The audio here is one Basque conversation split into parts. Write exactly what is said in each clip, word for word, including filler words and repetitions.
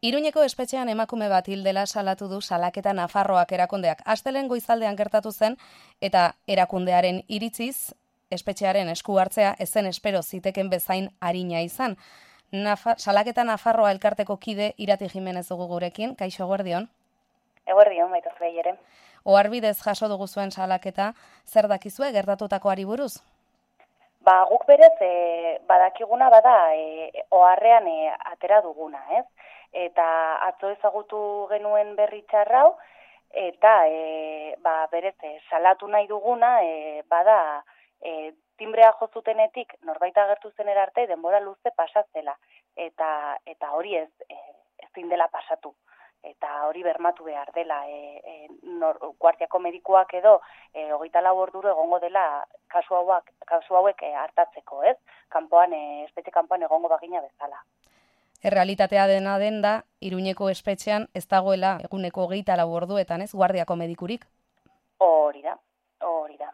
Iruñeko espetxean emakume bat hil dela salatu du Salaketa Nafarroak erakundeak. Astelehen goizaldean gertatu zen eta erakundearen iritziz espetxearen esku hartzea ezen espero ziteken bezain arina izan. Nafa, Salaketa Nafarroa elkarteko kide Irati Jimenez dugu gurekin. Kaixo, eguerdion. Eguerdion, baita zuei ere. Oharbidez jaso dugu zuen salaketa, zer dakizue gertatutakoari buruz? Ba, guk berez e, badakiguna bada e, oharrean e, atera duguna, ez? Eta atzo ezagutu genuen berri txarrau, eta e, ba, berez e, salatu nahi duguna e, bada e, timbrea jozutenetik norbait agertu zenera arte denbora luze pasatzela, eta eta hori ez e, ezin dela pasatu. Eta hori bermatu behar dela, e, e, nor, guardiako medikuak edo e, hogeita lau orduro egongo dela kasu hauek, kasu hauek e, hartatzeko, ez? Kanpoan, e, espetxe kanpoan egongo bagina bezala. Errealitatea dena den da, Iruñeko espetxean ez dagoela eguneko hogeita lau orduetan, ez? Guardiako medikurik? Hori da, hori da.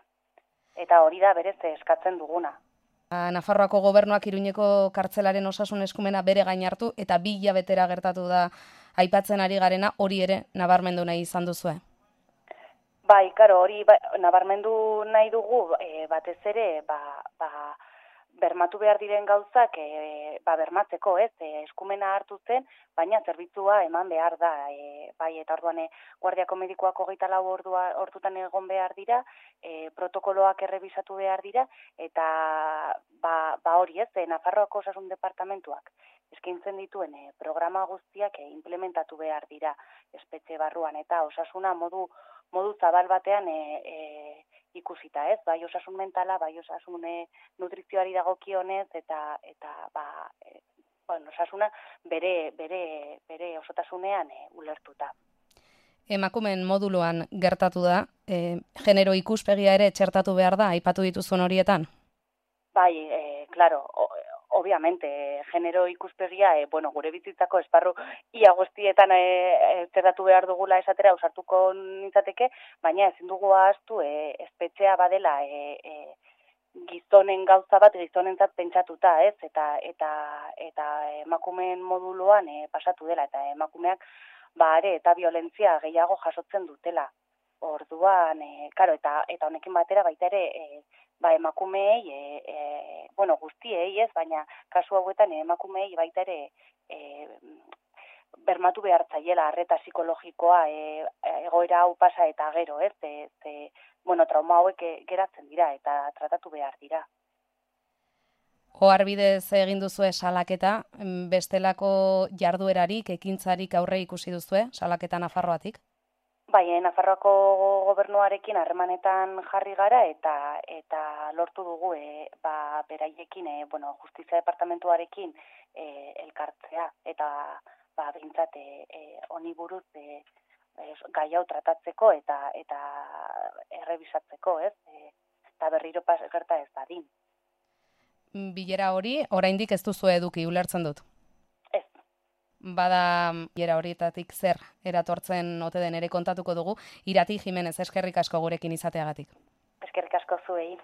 Eta hori da berez eskatzen duguna. Nafarroako gobernuak Iruñeko kartzelaren osasun eskumena bere gain hartu eta bi hilabetera gertatu da aipatzen ari garena, hori ere nabarmendu nahi izan duzue. Bai, karo, hori ba, nabarmendu nahi dugu e, batez ere ba, ba, bermatu behar diren gauzak e, ba, bermatzeko, ez, e, eskumena hartu zen, baina zerbitzua eman behar da, e, bai, eta orduan e, guardiako medikoak hogeita lau ordua hortutan egon behar dira, e, protokoloak errebisatu behar dira, eta ba, ba hori ez, e, Nafarroako osasun departamentuak eskaintzen dituen e, programa guztiak e, implementatu behar dira espetxe barruan, eta osasuna modu, modu zabal batean e, e, ikusita, ez? Bai osasun mentala, bai osasun e, nutrizioari dagokionez, eta eta ba, e, bueno, osasuna bere bere bere osotasunean e, ulertuta. Emakumeen moduloan gertatu da, e, genero ikuspegia ere txertatu behar da, aipatu dituzun horietan? Bai, e, claro, o, obviamente, genero ikuspegia, e, bueno, gure bizitzako esparru ia guztietan e, zerratu behar dugula esatera ausartuko nintzateke, baina ezin dugu ahaztu e, espetxea badela e, e, gizonen gauza bat gizonentzat pentsatuta, ez? Eta eta eta emakumeen moduloan e, pasatu dela, eta emakumeak ba are eta violentzia gehiago jasotzen dutela. Orduan, e, karo, eta eta honekin batera baita ere e, ba emakumeei e, e, bueno, guztiei, ez, baina kasu hauetan emakumeei baita ere e, bermatu behar zaiela arreta psikologikoa e, egoera hau pasa eta gero, ez, ze, ze, bueno, trauma hauek geratzen dira eta tratatu behar dira. Oharbidez egin duzue salaketa, bestelako jarduerarik, ekintzarik aurre ikusi duzue, Salaketa Nafarroatik? Bai, Nafarroako gobernuarekin harremanetan jarri gara eta eta lortu dugu e, ba, beraiekin, e, bueno, Justizia Departamentuarekin e, elkartzea eta ba behintzat e, e, honi buruz e, e, gai hau tratatzeko eta eta errebisatzeko, ez? E, eta berriro pas gerta ez dadin. Bilera hori oraindik ez duzu eduki, ulertzen dut. Bada bilera horietatik zer eratortzen ote den ere kontatuko dugu. Irati Jimenez, eskerrik asko gurekin izateagatik. Eskerrik asko zuei.